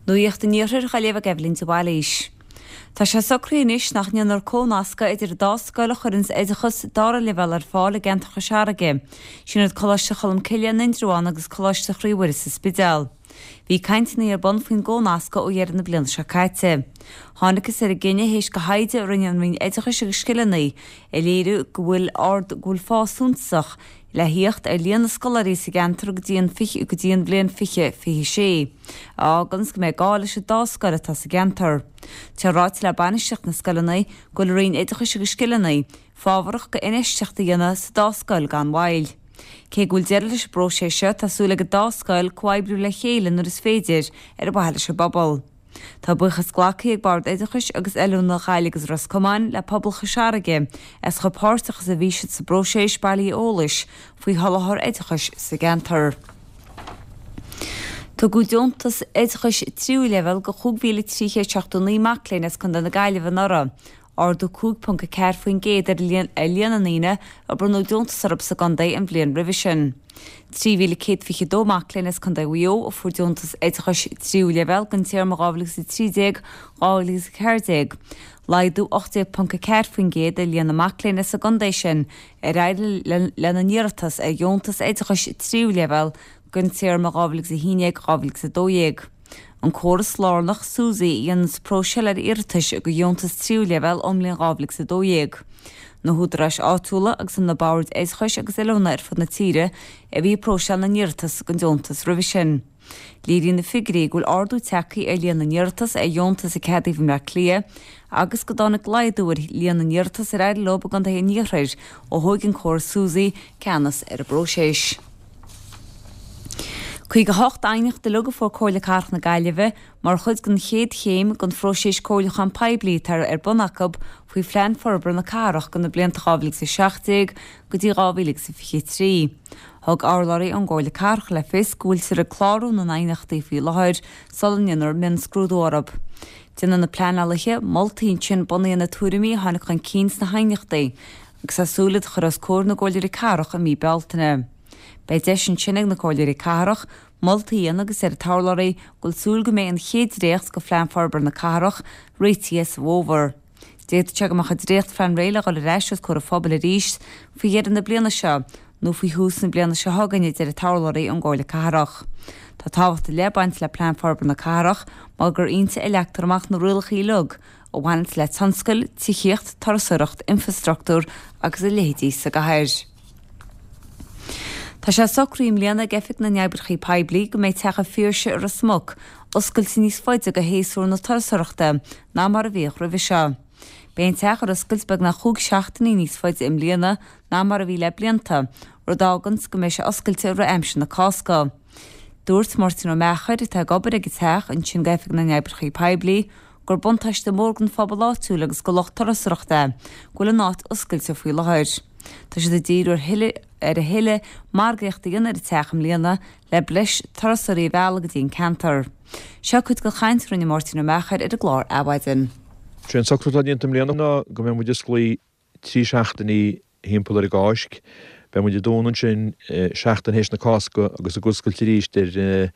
Nuacht an Iarthair á léamh ag Eibhlín de Bhailís. Tá sé socraithe anois nach ndéanfar comhnascadh idir an dá scoil a chuireanns oideachas dara leibhéal ar fáil i gceantar Chois Fharraige, sin iad Coláiste Cholmcille in Indreabhán agus Coláiste Chroí Mhuire sa Spidéal. Bhí cainteanna ar bun faoin gcomhnascadh ó dheireadh na bliana seo caite. Thángthas ar an gcinneadh théis do thaighde a rinne an Roinn Oideachais agus Scileanna a léiriú go bhfuil ard go bhfuil fás suntasach le thíocht ar líon na scoláirí sa gceantar go dtí an go dtí an bhliain 2026, a fháganns go mbeidh gá leis an dá scoil atá sa gceantar. Tá ráite le bainistíocht na scoileanna go bhfuil an Roinn Oideachais agus Scileanna fábharach go infheistíocht a dhéanamh sa dá scoil gan mhoill. Cé go bhfuil deireadh leis an bpróiseas seo, tá súil ag an dá scoil comhoibriú le chéile nuair is féidir ar mhaithe leis an bpobal. Tá buíochas glactha ag Bord Oideachais agus Oiliúna Ghaillimh agus Ros Comáin le pobal Chois Fharraige as chomh páirteach is a bhí siad sa bpróiseas bailithe eolais faoi sholáthar oideachais sa gceantar. Tugadh deontas oideachais tríú leibhéal go 5,379 mac léinn as Contae na Gaillimhe anuraidh, ardú 5.4% ar líon na ndaoine a bronnadh deontas orthu sa gcontae an bhliain roimhe sin. 3,122 mac léinn as Contae Mhaigh Eo a fuair deontas oideachais tríú leibhéal don téarma 2013, 2014, laghdú 18.4% ar líon na mac léinn as an gcontae sin ar éirigh lena n-iarratas ar dheontas oideachais tríú leibhéal don téarma 2011, 2012. An córas lárnach, SUSI, a dhéananns próiseáil ar iarratais do dheontas tríú leibhéal ón mbliain 2012. Na húdaráis áitiúla agus na boird oideachais agus oiliúna ar fud na tíre a bhí ag próiseáil na n-iarratas don deontas roimhe sin. Léiríonn na figiúirí go bhfuil ardú tagtha ar líon na n-iarratas ar dheontas a ceadaíodh i mBleá Cliath agus go dtáinig laghdú ar líon na n-iarratas ar éirigh leo i gcontaetha an iarthair ó thóig an córas SUSI ceannas ar an bpróiseas. 58 aighneacht uilig a fuair Comhairle Cathrach na Gaillimhe mar chuid den chéad chéim den phróiseas comhairliúchán poiblí atá ar bun acu faoi Phlean Forbartha na Cathrach do na blianta 2017 go dtí 2023. Thug urlabhraí ón gComhairle Cathrach le fios go bhfuiltear ag clárú na n-aighneachtaí faoi láthair sula ndéanfar mionscrúdú orthu. Déanfaidh na pleanálaithe moltaí ansin bunaithe ar na tuairimí a tháinig chun cinn sna haighneachtaí agus tá súil iad a chur os comhair na gComhairleoirí Cathrach i mí Bealtaine. Beidh deis ansin ag na Comhairleoirí Cathrach moltaí a dhéanamh agus deir an t-urlabhraí go bhfuil súil go mbeidh an chéad dréacht de Phlean Forbartha na Cathrach réitithe sa bhfómhar. D'fhéadfadh sé go mbeadh an dréachtphlean réidh le dhul ar ais os comhair an phobail arís faoi dheireadh na bliana seo nó faoi thús na bliana seo chugainn, a deir an t-urlabhraí ón gComhairle Cathrach. Tá tábhacht ar leith ag baint le Plean Forbartha na Cathrach mar gur inti a leagtar amach na rialacha uilig a bhaineanns le tionscail, tithíocht, turasóireacht, infreastruchtúr agus a leithéidí sa gcathair. Tá sé socraithe i mbliana ag Oifig na nOibreacha Poiblí go mbeidh Teach an Phiarsaigh i Ros Muc oscailte níos faide do shéasúr na turasóireachta ná mar a bhíodh roimhe seo. Beidh an teach ar oscailt beagnach chúig seachtainí níos faide i mbliana ná mar a bhí le blianta, rud a fháganns go mbeidh sé oscailte i rith aimsir na Cásca. Dúirt Máirtín Ó Meachair, atá ag obair ag an teach ansin d'Oifig na nOibreacha Poiblí, gur buntáiste mór don phobal áitiúil agus do lucht turasóireachta é go bhfuil an áit oscailte faoi láthair. Tá siad ag díriú ar thuilleadh ar a thuilleadh margaíochta a dhéanamh ar an teach i mbliana le breis turasóirí a mhealladh go dtí an ceantar. Seo cuid den chaint a rinne Máirtín Ó Meachair ar an gclár Adhmhaidin. Sé an socrú atá déanta i mbliana ná go mbeidh muid osclaí 3 seachtainí thimpeall ar an gCáisc. Beidh muid ag dúnadh ansin seachtain théis na Cásca agus ag oscailt arís ar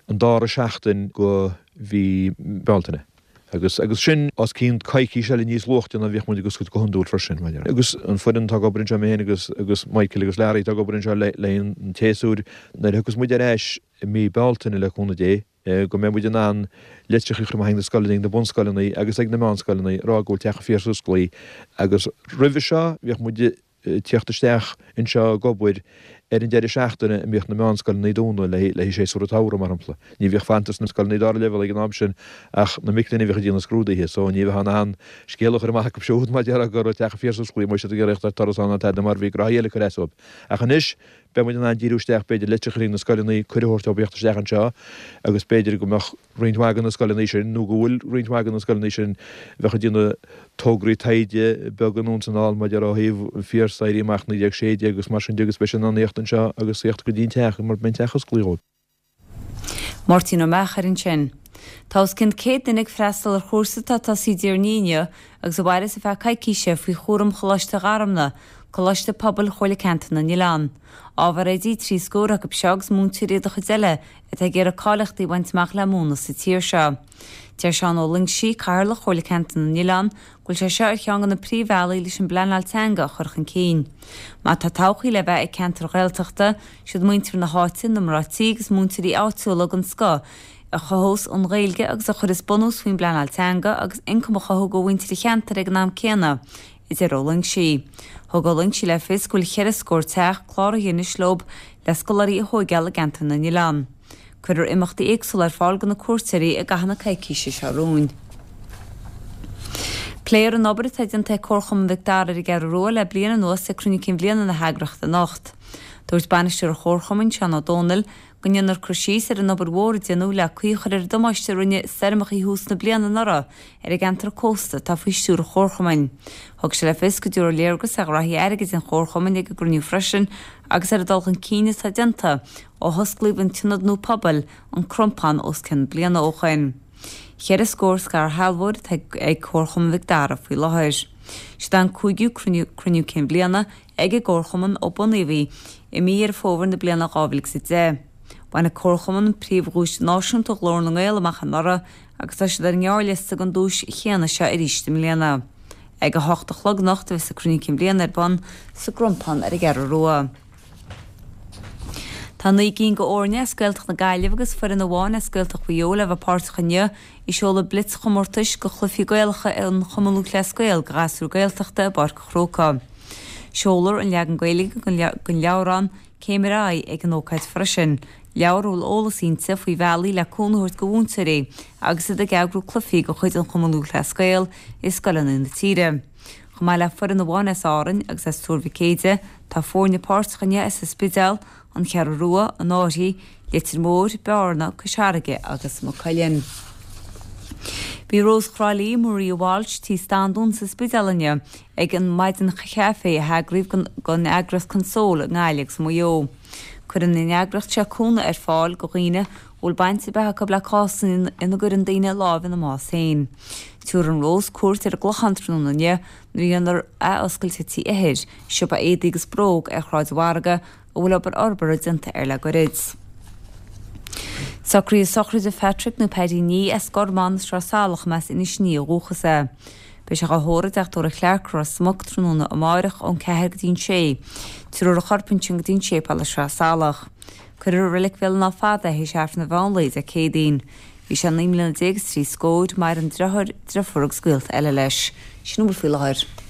an dara seachtain go mhí Bealtaine. Agus agus sin os cionn coicís eile níos luaite ná bhíodh muid ag oscailt go hiondúil freisin. Agus an foireann atá ag obair anseo, mé féin agus agus Michael agus Larry atá ag obair anseo le le an tséasúir, nuair a thiocfas muid ar ais i mí Bealtaine le cúnamh Dé, go mbeidh muid in ann litreacha a chur amach ag na scoileanna, ag na bunscoileanna agus ag na meánscoileanna ag rá go bhfuil Teach an Phiarsaigh osclaí agus roimhe seo bhíodh muid ag tíocht isteach anseo ag obair ar an deireadh seachtaine a mbíodh na meánscoileanna dúnadh le haghaidh séasúr an tsamhraidh mar shampla. Ní bhíodh fanta sna scoileanna dara leibhéal ag an am sin ach na mic léinn a bhíodh ag déanamh scrúduithe so ní bheifeá in ann scéal a chur amach acu siúd mar déarfá go raibh Teach an Phiarsaigh osclaí má bhí siad ag iarraidh a thíocht ar turas ann ná tada mar bhí gnoithí eile ag cur as dóibh. Ach anois Beidh muid in ann díriú isteach, b'fhéidir, litreacha chuig na scoileanna, cuireadh a thabhairt dóibh theacht isteach anseo agus b'fhéidir go mbeadh roinnt mhaith de na scoileanna sin, nó go bhfuil roinnt mhaith de na scoileanna sin, a bheadh ag déanamh tograí taighde beaga anonn is anall maidir ó thaobh an Phiarsaigh, Éirí Amach 1916 agus mar sin de agus beidh siad in ann theacht anseo agus theacht go dtí an teach mar beidh an teach osclaithe dhóibh. Máirtín Ó Meachair ansin. Tá os cionn 100 duine ag freastal ar chúrsa atá tosaithe Déardaoin inniu agus a mhairfeas ar feadh coicíse faoi chúram Choláiste Gharmna. Coláiste Pobail Chomhairle Ceantar na nOileán. Ábhar oidí 3 scór acu seo agus múinteoirí de chuid eile atá ag iarraidh cáilíochtaí a bhaint amach le múineadh sa tír seo. Deir Seán Ó Loingsigh, Cathaoirleach Chomhairle Ceantar na nOileán, go bhfuil sé seo ar cheann de na príomhbhealaí leis an bpleanáil teanga a chur chun cinn. Má tá todhchaí le bheith ag ceantair Ghaeltachta, siad muintir na háite, na mná tí agus múinteoirí áitiúla den scoth a chothós an Ghaeilge agus a chuirfeas bunús faoin bpleanáil teanga agus ioncam a chothú do mhuintir an cheantair ag an am céanna, a deir Ó Loingsigh. Thug Ó Loingsigh le fios go bhfuil cheithre scór teach cláraithe anois leo le scoláirí a thóigeáil i gceantar na nOileán. Cuirfear imeachtaí éagsúla ar fáil do na cuairteoirí i gcaitheamh na coicíse seo romhainn. Pléifear an obair atá déanta ag Comharchumann Mhic Dara ar an gCeathrú Rua le bliain anuas ag Cruinniú Cinn Bhliana na heagraíochta anocht. Dúirt bainisteoir an Chomharchumainn, Seán Ó Dónaill, go ndéanfar cur síos ar an obair mhór a déanadh le caoi a chur ar an damáiste a rinne stoirmeacha thús na bliana anuraidh ar an gceantar cósta atá faoi stiúir an Chomharchumainn. Thug sé le fios go dtabharfar léargas ar ghraithí airgid an Chomharchumainn ag an gcruinniú freisin agus ar an dul chun cinn atá déanta ó hosclaíodh an t-ionad nua pobail, An Crompán, os cionn bliana ó shoin. Cheithre scór scairshealbhóir atá ag Comharchumann Mhic Dara faoi láthair. Siod é an cúigiú cruinniú cinn bhliana ag an gComharchumann ó bunaíodh í i mí Dheireadh Fómhair na bliana 2010. Bhain an Comharchumann príomhdhuais náisiúnta Ghlór na nGael amach anuraidh agus tá siad ar an ngearrliosta don duais chéanna seo arís i mbliana. Ag 8 a chlog anocht a bheas an Cruinniú Cinn Bhliana ar bun sa gCrompán ar an gCeathrú Rua. Tá 9 gcinn de fhoirne as Gaeltacht na Gaillimhe agus foireann amháin as Gaeltacht Mhaigh Eo le bheith páirteach inniu i seoladh blitzchomórtais de chluichí Gaelacha an Chumann Lúthchleas Gael do ghasúir Gaeltachta i bPáirc an Chrócaigh. Seolfar an leagan Gaeilge den leabhrán Céim ar Aghaidh ag an ócáid freisin, leabhar a bhfuil eolas inti faoi bhealaí le cúnamh a thabhairt do mhúinteoirí agus iad ag eagrú cluichí de chuid an Chumann Lúthchleas Gael i scoileanna na tíre. Chomh maith le foireann amháin as Árainn agus as Tuar Mhic Éide, tá foirne páirteach inniu as an Spidéal, An Cheathrú Rua, An Fhairche, Leitir Móir, Bearna, Cois Fharraige agus Maigh Cuilinn. Bhí Rós Thrá Lí, Maria Walsh, tí Standún sa Spidéal inniu ag an maidin chaife a heagraíodh don eagraíocht Console i nGaillimh agus i Maigh Eo. Cuireann an eagraíocht seo cúnamh ar fáil do dhaoine a bhfuil baint ar bith acu le cásanna ina gcuireann daoine lámh ina mbás féin. Tabharfaidh Rós cuairt ar an gClochán tráthnóna inniu nuair a dhéanfar athoscailt ar Tí Eithir, siopa éadaí agus bróg ar Shráid an Mhargaidh a bhfuil obair fhorbartha déanta air le goirid. Socruithe sochraide Phatrick nó Paddy Nee as Gormán, Sraith Salach, más Inis Ní ó dhúchas é. Beidh sé á thórramh i dteach tórraimh Clarke, Ros Muc, tráthnóna amáireach ón 4 go dtí an 6. Tabharfar a chorp ansin go dtí an séipéal i Sraith Salach. Cuirfear i Reilig Bhéal an Átha Fada é théis Aifreann an mheán lae Dé Céadaoin. Bhí sé 19 mbliana is trí scóir, maireann driotháir, driofúr agus gaolta eile leis. Sin a bhfuil faoi láthair.